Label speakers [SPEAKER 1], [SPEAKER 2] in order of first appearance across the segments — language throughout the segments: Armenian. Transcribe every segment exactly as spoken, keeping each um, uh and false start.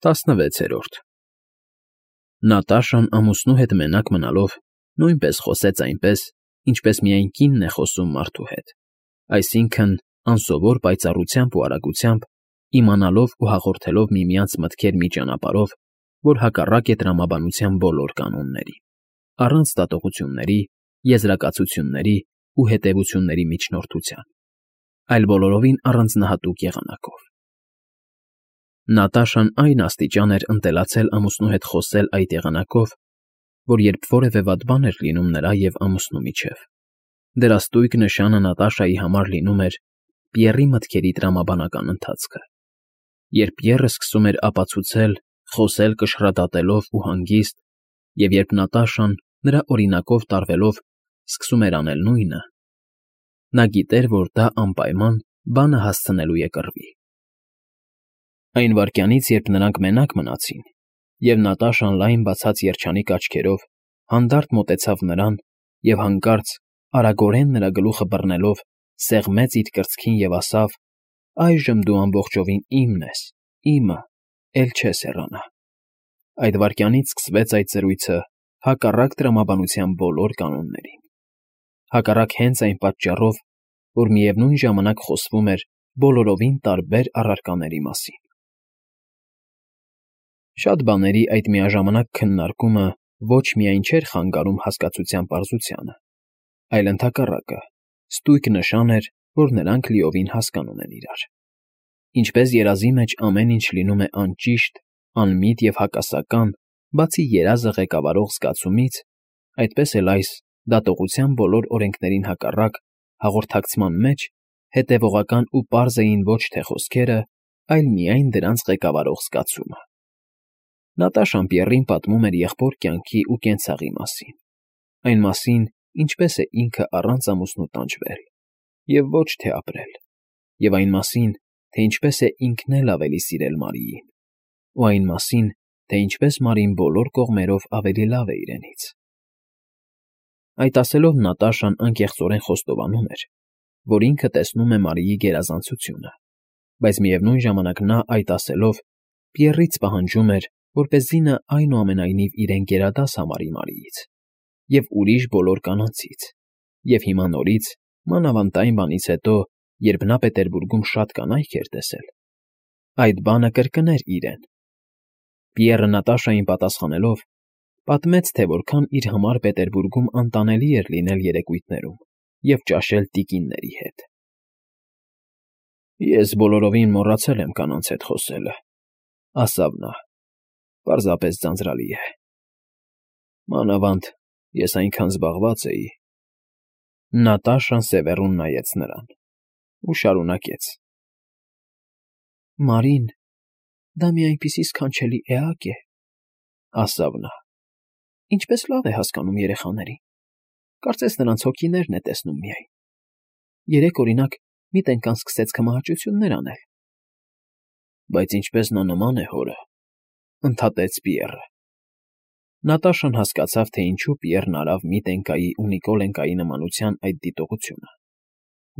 [SPEAKER 1] Տասնվեցերորդ Նատաշան ամուսնու հետ մենակ մնալով նույնպես խոսեց այնպես, ինչպես միայն կինն է խոսում մարդու հետ, այսինքն՝ անսովոր պայծառությամբ ու արագությամբ, իմանալով ու հաղորդելով միմյանց մտքեր մի ճանապարհով, որ հակառակ է տրամաբանության բոլոր կանոնների, առանց դատողությունների, եզրակացությունների ու հետևությունների միջնորդության, այլ բոլորովին առանձնահատուկ եղանակով։ Նատաշան այն աստիճան էր ընտելացել ամուսնու հետ խոսել այդ եղանակով, որ երբ որևէ վատ բան էր լինում նրա և ամուսնու միջև, դրա ստույգ նշանը Նատաշայի համար լինում էր Պիեռի մտքերի տրամաբանական ընթացքը, երբ Պիեռը սկսում էր ապացուցել, խոսել կշռադատելով ու հանգիստ, և երբ Նատաշան, նրա օրինակով տարվելով, սկսում էր անել նույնը, նա գիտեր, որ դա անպայման բանը հասցնելու է կռվի։ Այն վայրկյանից, երբ նրանք մենակ մնացին, և Նատաշան լայն բացած երջանիկ աչքերով հանդարտ մոտեցավ նրան և հանկարծ, արագորեն նրա գլուխը բռնելով, սեղմեց իր կրծքին և ասավ. «Այժմ դու ամբողջովին իմն ես, իմը, էլ չես հեռանա»։ Այդ վայրկյանից սկսվեց այդ զրույցը հակառակ տրամաբանության բոլոր կանոններին, հակառակ հենց այն պատճառով, որ միևնույն ժամանակ խոսվում էր բոլորովին տարբեր առարկաների մասին։ Շատ բաների այդ միաժամանակ քննարկումը ոչ միայն չէր խանգարում հասկացության պարզությանը, այլ ընդհակառակը, ստույգ նշան էր, որ նրանք լիովին հասկանում են իրար։ Ինչպես երազի մեջ ամեն ինչ լինում է անճիշտ, անմիտ և հակասական, բացի երազը ղեկավարող զգացումից, այդպես էլ այս, դատողության բոլոր օրենքներին հակառակ, հաղորդակցման մեջ հետևողական ու պարզ էին ոչ թե խոսքերը, այլ միայն դրանց ղեկավարող զգացումը։ Նատաշան Պիեռին պատմում էր եղբոր կյանքի ու կենցաղի մասին, այն մասին, ինչպես է ինքը առանց ամուսնու տանջվել և ոչ թե ապրել, և այն մասին, թե ինչպես է ինքն էլ ավելի սիրել Մարիին, ու այն մասին, թե ինչպես Մարին բոլոր կողմերով ավելի լավ է իրենից։ Այդ ասելով Նատաշան անկեղծորեն խոստովանում էր, որ ինքը տեսնում է Մարիի գերազանցությունը, բայց միևնույն ժամանակ նա, այդ ասելով, Պիեռից պահանջում էր, որպեսզի նա այնուամենայնիվ իրեն գերադաս համարի Մարիից և ուրիշ բոլոր կանանցից, և հիմա նորից, մանավանդ այն բանից հետո, երբ նա Պետերբուրգում շատ կանայք էր տեսել, այդ բանը կրկներ իրեն։ Պիեռը Նատաշային պատասխանելով, պատմեց, թե որքան իր համար Պետերբուրգում անտանելի էր լինել երեկույթներում և ճաշել տիկինների հետ։ «Ես բոլորովին մոռացել եմ կանանց հետ խոսելը,֊ ասավ նա,֊ պարզապես ձանձրալի է։ Մանավանդ ես այնքան զբաղված էի…»։ Նատաշան սևեռուն նայեց նրան ու շարունակեց. «Մարին, դա մի այնպիսի սքանչելի էակ է,֊ ասավ նա,֊ ինչպես լավ է հասկանում երեխաներին, կարծես նրանց հոգիներն է տեսնում միայն… Երեկ, օրինակ, մի տենկան սկսեց քմահաճություններ անել»։ «Բայց ինչպես նա նման է հորը,֊ ընդհատեց Պիեռը։ Նատաշան հասկացավ, թե ինչու Պիեռն արավ Միտենկայի ու Նիկոլենկայի նմանության այդ դիտողությունը.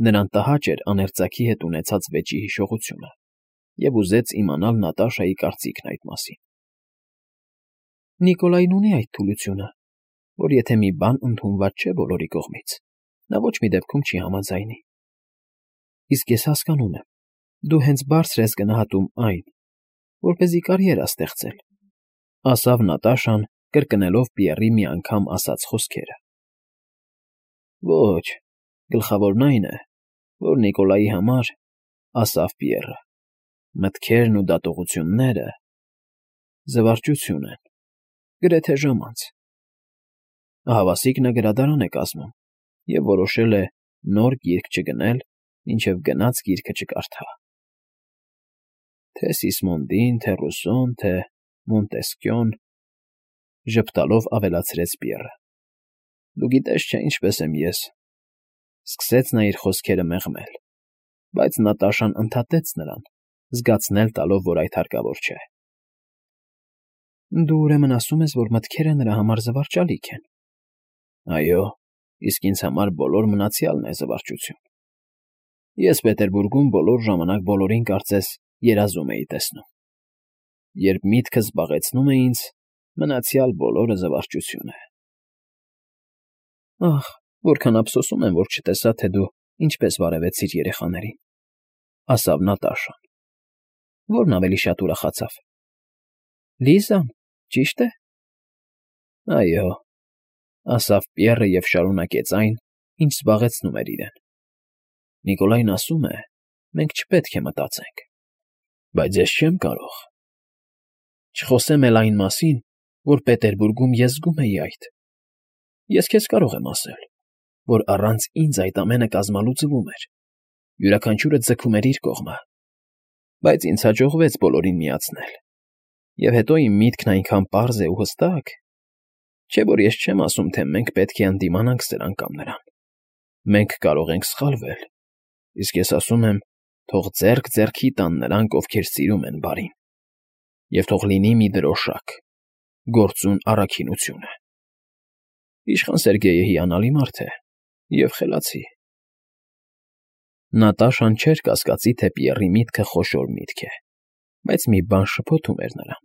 [SPEAKER 1] նրան տհաճ էր աներծաքի հետ ունեցած վեճի հիշողությունը և ուզեց իմանալ Նատաշայի կարծիքն այդ մասին։ «Նիկոլայն ունի այդ թուլությունը, որ եթե մի բան ընդունված չէ բոլորի կողմից, նա ոչ մի դեպքում չի համաձայնի։ Իսկ ես հասկանում եմ, դու հենց բարձր ես գնահատում այն, որպեսզի կարիերա ստեղծել,֊ ասավ Նատաշան, կրկնելով Պիեռի մի անգամ ասած խոսքերը։ «Ոչ, գլխավորն այն է, որ Նիկոլայի համար,֊ ասավ Պիեռը,֊ մտքերն ու դատողությունները զվարճություն են, գրեթե ժամանց։ Ահավասիկ նա գրադարան է կազմում և որոշել է նոր գիրք չգնել, մինչև գնած գիրքը չկարդա։ Թե Սիսմոնդին, թե Ռուսոն, թե Մոնտեսկյոն,֊ ժպտալով ավելացրեց Պիեռը,֊ դու գիտես չէ ինչպես եմ ես…»։ Սկսեց նա իր խոսքերը մեղմել, բայց Նատաշան ընդհատեց նրան, զգացնել տալով, որ այդ հարկավոր չէ։ «Դու ուրեմն ասում ես, որ մտքերը նրա համար զվարճալիք են»։ «Այո, իսկ ինձ համար բոլոր մնացյալն է զվարճություն։ Ես Պետերբուրգում բոլոր ժամանակ բոլորին կարծես երազում էի տեսնում։ երբ միտքը զբաղեցնում է ինձ, մնացյալ բոլորը զվարճություն է։ Ախ, որքան ափսոսում եմ, որ չտեսա, թե դու ինչպես վարևեցիր երեխաներին, ասավ Նատաշան։ Որն ավելի շատ ուրախացավ։ Լիզան, ճի՞շտ է։ Այո, ասավ Պիեռը և շարունակեց այն, ինչ զբաղեցնում էր իրեն։ Նիկոլայն ասում է, մենք չպետք է մտածենք, բայց ես չեմ կարող։ Չխոսեմ էլ այն մասին, որ Պետերբուրգում ես զգում էի այդ։ Ես քեզ կարող եմ ասել, որ առանց ինձ այդ ամենը կազմալու ձգում էր, յուրաքանչյուրը ձգում էր իր կողմը, բայց ինձ հաջողվեց բոլորին միացնել, և հետո իմ միտքն այնքան պարզ է ու հստակ, չէ՞ որ ես չեմ ասում, թե մենք պետք է ընդդիմանանք սրան կամ նրան։ Մենք կարող ենք սխալվել, իսկ ես ասում եմ, թող ձեռք ձեռքի տան նրանք, ովքեր սիրում են բարին, և թող լինի մի դրոշակ, գործուն առաքինությունը։ Իշխան Սերգեյը հիանալի մարդ է և խելացի։ Նատաշան չէր կասկածի, թե Պիեռի միտքը խոշոր միտք է, բայց մի բան շփոթում էր նրան.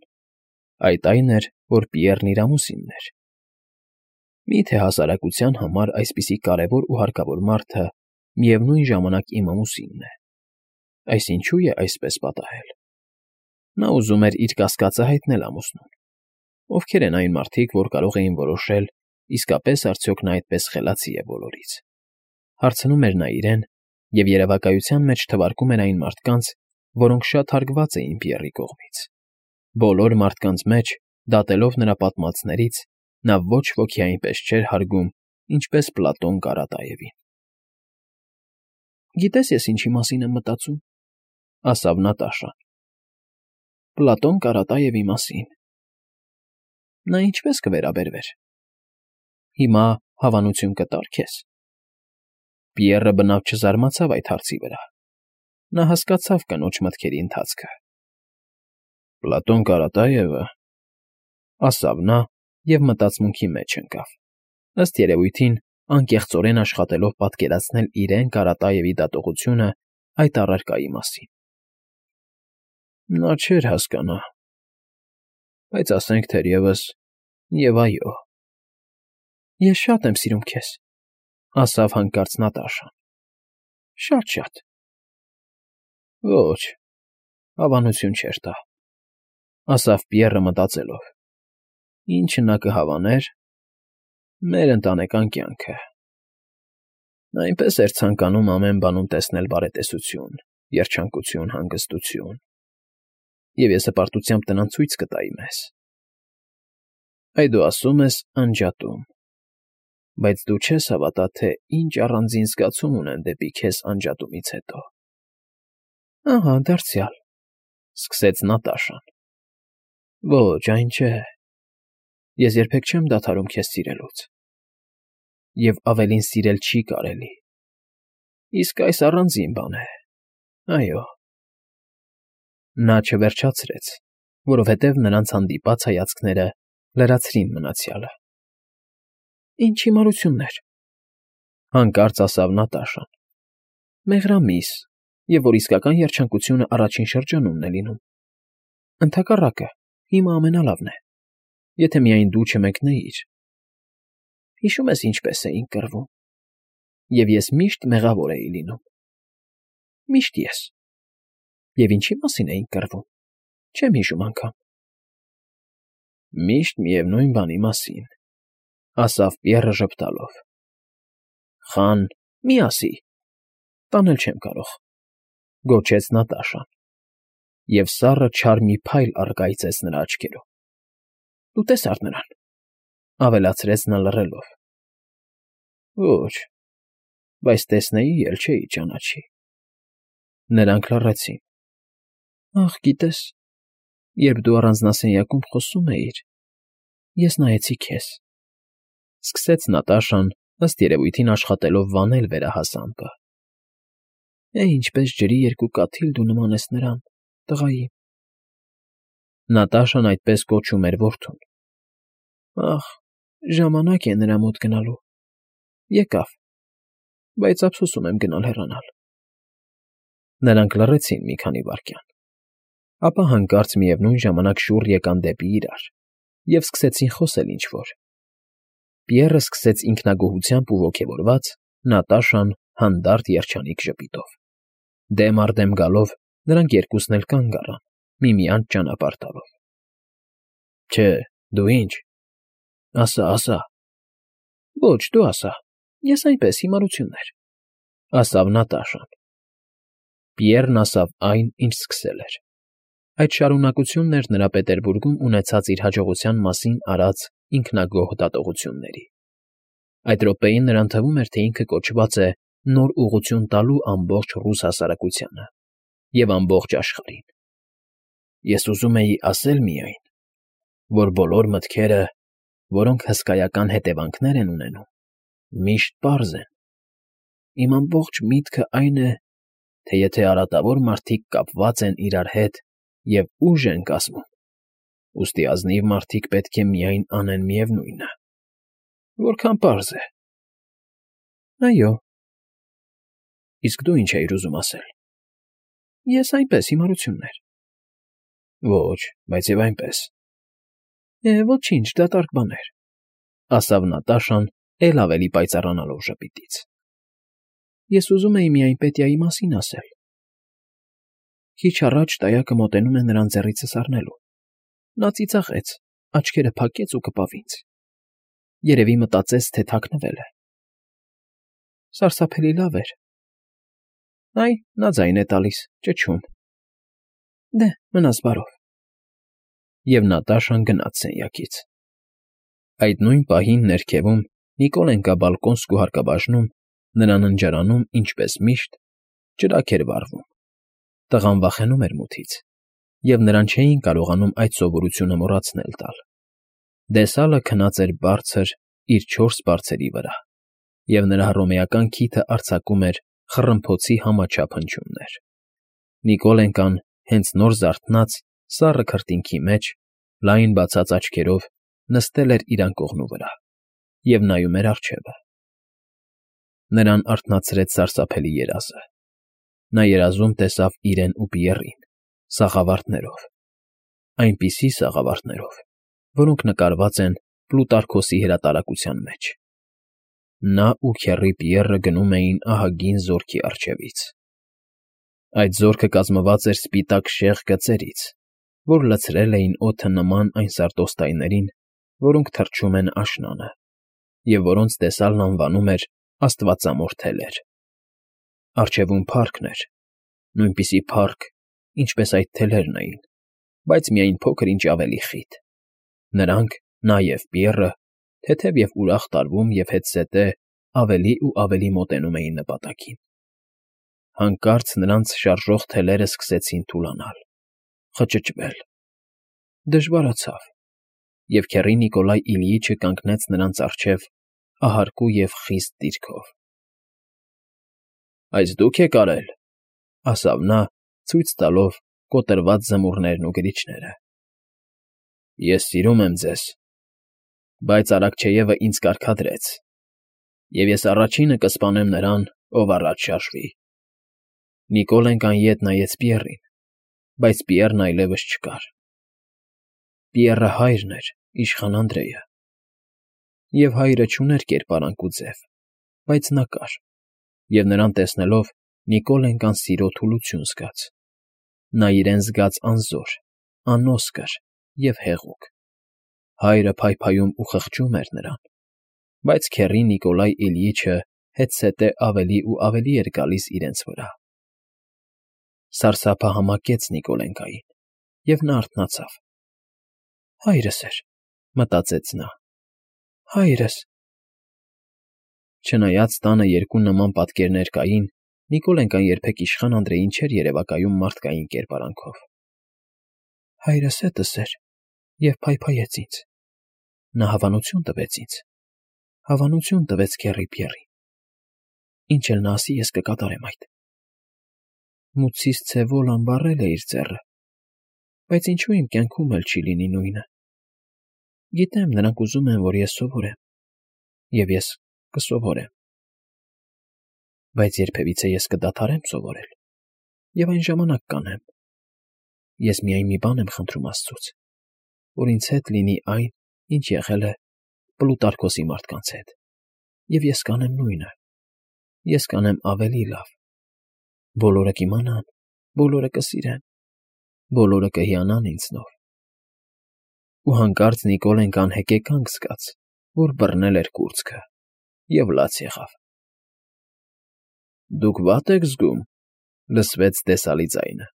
[SPEAKER 1] այդ այն էր, որ Պիեռն իր ամուսինն էր։ Մի՞թե հասարակության համար այսպիսի կարևոր ու հարկավոր մարդը միևնույն ժամանակ իմ ամուսինն է։ Այսինչու է այսպես պատահել։ Նա ուզում էր իր կասկածը հայտնել ամուսնուն։ Ովքեր են այն մարդիկ, որ կարող էին որոշել, իսկապես արդյոք նա այդպես խելացի է բոլորից։ Հարցնում էր նա իրեն, և երևակայության մեջ թվարկում էր այն մարդկանց, որոնք շատ հարգված էին Պիեռի կողմից։ Բոլոր մարդկանց մեջ, դատելով նրա պատմածներից, նա ոչ ոքի այնպես չէր հարգում, ինչպես Պլատոն Կարատաևին։ Գիտես, ես ինչի մասին եմ մտածում, ասավ Նատաշան։ Պլատոն Կարատաևի մասին։ Նա ինչպես կվերաբերվեր։ Հիմա հավանություն կտա՞ր քեզ։ Պիեռը բնավ չզարմացավ այդ հարցի վրա։ Նա հասկացավ կնոջ մտքերի ընթացքը։ Պլատոն Կարատաևը, ասավ նա և մտածմունքի մեջ ընկավ, ըստ երևույթին անկեղծորեն աշխատելով պատկերացնել իրեն Կարատաևի դատողությունը այդ առարկայի մասին։ Նա չէր հասկանա, բայց ասենք թերևս և այո։ Ես շատ եմ սիրում քեզ, ասավ հանկարծ Նատաշան։ Շատ֊շատ։ Ոչ, հավանություն չէր տա, ասավ Պիեռը մտածելով։ Ինչը նա կհավաներ, մեր ընտանեկան կյանքը։ Այնպես էր ցանկանում ամեն բանում տեսնել բարետեսություն, երջանկություն, հանգստություն, և ես հպարտությամբ տնան ցույց կտայի մեզ։ Այ դու ասում ես անջատում, բայց դու չես հավատա, թե ինչ առանձին զգացում ունեն դեպի քեզ անջատումից հետո։ Ահա, դարձյալ, սկսեց Նատաշան։ Ոչ, այն չէ։ Ես երբեք չեմ դադարում քեզ սիրելուց։ Եվ ավելին սիրել չի կարելի։ Իսկ այս առանձին բան է, այո։ Նա չվերջացրեց, որովհետև նրանց հանդիպած հայացքները լրացրին մնացյալը։ Ինչ հիմարություններ, հանկարծ ասավ Նատաշան։ Մեղրամիս, և որ իսկական երջանկությունը առաջին շրջանումն է լինում։ Ընդհակառակը, հիմա ամենալավն է, եթե միայն դու չմեկնեիր։ Հիշում ես ինչպես էինք կռվում, և ես միշտ մեղավոր էի լինում։ Միշտ ես։ Եվ ինչի մասին էինք կռվում, չեմ հիշում անգամ։ Միշտ միևնույն բանի մասին, ասավ Պիեռը ժպտալով։ Խան, մի ասի։ Տանել չեմ կարող, գոչեց Նատաշան, և սառը չար մի փայլ առկայծեց նրա աչքերում։ Դու տեսար նրան, ավելացրեց նա լռելով։ Ոչ, բայց տեսնեի էլ չէի ճանաչի։ Նրանք լռեցին։ Ախ, գիտես, երբ դու առանձնասենյակում խոսում էիր, ես նայեցի քեզ, սկսեց Նատաշան, ըստ երևույթին աշխատելով վանել վերահասամբը։ Է, ինչպես ջրի երկու կաթիլ դու նման ես նրան, տղային։ Նատաշան այդպես կոչում էր որդուն։ Ախ, ժամանակ է նրա մոտ գնալու։ Եկավ, բայց ափսոսում եմ գնալ հեռանալ։ Նրանք լռեցին մի քանի վայրկյան։ Ապա հանկարծ միևնույն ժամանակ շուռ եկան դեպի իրար և սկսեցին խոսել ինչ֊որ. Պիեռը սկսեց ինքնագոհությամբ ու ոգևորված, Նատաշան՝ հանդարտ երջանիկ ժպիտով. դեմ առ դեմ գալով, նրանք երկուսն էլ կանգ առան, միմյանց ճանապարհ տալով։ ֊ Չէ, դու ինչ, ասա, ասա։ ֊ Ոչ, դու ասա, ես այնպես հիմարություններ, ֊ ասավ Նատաշան։ Պիեռն ասավ այն, ինչ սկսել էր. այդ շարունակությունն էր նրա Պետերբուրգում ունեցած իր հաջողության մասին արած ինքնագոհ դատողությունների։ Այդ րոպեին նրան թվում էր, թե ինքը կոչված է նոր ուղղություն տալու ամբողջ ռուս հասարակությանը և ամբողջ աշխարհին։ Ես ուզում էի ասել միայն, որ բոլոր մտքերը, որոնք հսկայական հետևանքներ են ունենում, միշտ պարզ են։ Իմ ամբողջ միտքը այն է, թե եթե արատավոր մարդիկ կապված են իրար հետ և ուժ են կազմում, ուստի ազնիվ մարդիկ պետք է միայն անեն միևնույնը։ Որքան պարզ է։ ֊ Այո։ ֊ Իսկ դու ինչ էիր ուզում ասել։ ֊ Ես այնպես հիմարություններ։ ֊ Ոչ, բայց և այնպես։ ֊ Է, ոչինչ, դատարկ բաներ, ֊ ասավ Նատաշան, էլ ավելի պայծառանալով ժպիտից։ ֊ Ես ուզում էի միայն Պետյայի մասին ասել։ Քիչ առաջ տայակը մոտենում է նրան ձեռիցս առնելու։ Նա ծիծաղեց, աչքերը փակեց ու կպավ ինձ։ Երևի մտածեց, թե թաքնվել է։ Սարսափելի լավ էր։ Այ, նա ձայն է տալիս, ճչում։ Դե, մնաս բարով։ Եվ Նատաշան գնաց սենյակից։ Այդ նույն պահին ներքևում, Նիկոլենկա բալկոնսկու հարկաբաժնում, նրա ննջարանում, ինչպես միշտ, ճրագ էր վառվում։ Տղան վախենում էր մութից, և նրան չէին կարողանում այդ սովորությունը մոռացնել տալ։ Դեսալը քնած էր բարձր իր չորս բարձերի վրա, և նրա հռոմեական քիթը արձակում էր խռմփոցի համաչափ հնչյուններ։ Նիկոլենկան, հենց նոր զարթնած, սառը քրտինքի մեջ, լայն բացած աչքերով, նստել էր իր անկողնու վրա և նայում էր առջևը։ Նրան արթնացրեց սարսափելի երազը։ Նա երազում տեսավ իրեն ու Պիեռին՝ սաղավարտներով, այնպիսի սաղավարտներով, որոնք նկարված են Պլուտարքոսի հրատարակության մեջ։ Նա ու քեռի Պիեռը գնում էին ահագին զորքի առջևից։ Այդ զորքը կազմված էր սպիտակ շեղ գծերից, որ լցրել էին օդը նման այն սարդոստայներին, որոնք թռչում են աշնանը, և որոնց տեսալն անվանում էր աստվածամոր թելեր։ Առջևում փառքն էր, նույնպիսի փառք, ինչպես այդ թելերն էին, բայց միայն փոքր֊ինչ ավելի խիտ։ Նրանք, նա և Պիեռը, թեթև և ուրախ տարվում և հետզհետե ավելի ու ավելի մոտենում էին նպատակին։ Հանկարծ նրանց շարժող թելերը սկսեցին թուլանալ, խճճվել։ Դժվարացավ, և քեռի Նիկոլայ Իլյիչը կանգնեց նրանց առջև ահարկու և խիստ դիրքով։ ֊ Այս դու՞ք եք արել,֊ ասավ նա, ցույց տալով կոտրված զմուռներն ու գրիչները։ ֊ Ես սիրում եմ ձեզ, բայց Արաքչեևը ինձ կարգադրեց, և ես առաջինը կսպանեմ նրան, ով առաջ շարժվի։ Նիկոլենկան ետ նայեց Պիեռին, բայց Պիեռն այլևս չկար։ Պիեռը հայրն էր, իշխան Անդրեյը։ Եվ հայրը չուներ կերպարանք ու ձև, բայց նա կար, և նրան տեսնելով Նիկոլենկան սիրո թուլություն զգաց։ Նա իրեն զգաց անզոր, անոսկր և հեղուկ։ Հայրը փայփայում ու խղճում էր նրան, բայց քեռի Նիկոլայ Իլյիչը հետզհետե ավելի ու ավելի էր գալիս իրենց վրա։ Սարսափը համակեց Նիկոլենկային, և նա արթնացավ։ «Հայրս էր,֊ մտածեց նա,֊ հայրս»։ Չնայած տանը երկու նման պատկերներ կային, Նիկոլենկան երբեք իշխան Անդրեյին չէր երևակայում մարդկային կերպարանքով։ «Հայրս հետս էր և փայփայեց ինձ. նա հավանություն տվեց ինձ, հավանություն տվեց քեռի Պիեռին։ Ինչ էլ նա ասի, ես կկատարեմ այդ։ Մութսիս Ցևոլան վառել է իր ձեռը, բայց ինչու իմ կյանքում էլ չի լինի նույնը։ Գիտեմ, նրանք ուզում են, որ ես սովորեմ, և ես կսովորեմ։ Բայց երբևիցե ես կդադարեմ սովորել, և այն ժամանակ կանեմ։ Ես միայն մի բան եմ խնդրում աստծուց, որ ինձ հետ լինի այն, ինչ եղել է Պլուտարկոսի մարդկանց հետ, և ես կանեմ նույնը, ես կանեմ ավելի լավ. բոլորը կիմանան, բոլորը կսիրեն, բոլորը կհիանան ինձնով։ Ու հանկարծ Նիկոլեն անհեկեկանք զգաց, որ բռնել էր կուրծքը, և լաց եղավ։ ֊ Դուք վա՞տ եք զգում,֊ լսվեց տեսալի ձայնը։ ֊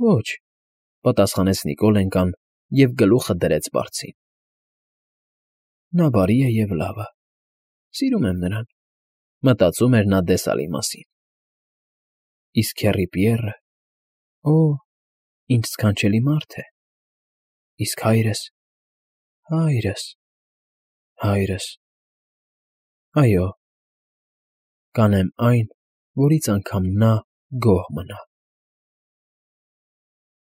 [SPEAKER 1] Ոչ,֊ պատասխանեց Նիկոլենկան և գլուխը դրեց բարձին։ Նա բարի է և լավ է, սիրում եմ նրան,֊ մտածում էր նա դեսալի մասին։ Իսկ քեռի Պիեռը… Օ՜, ինչ սքանչելի մարդ է… Իսկ հայրս… հայրս… հայրս… Այո, կանեմ այն, որից անգամ նա գոհ մնա։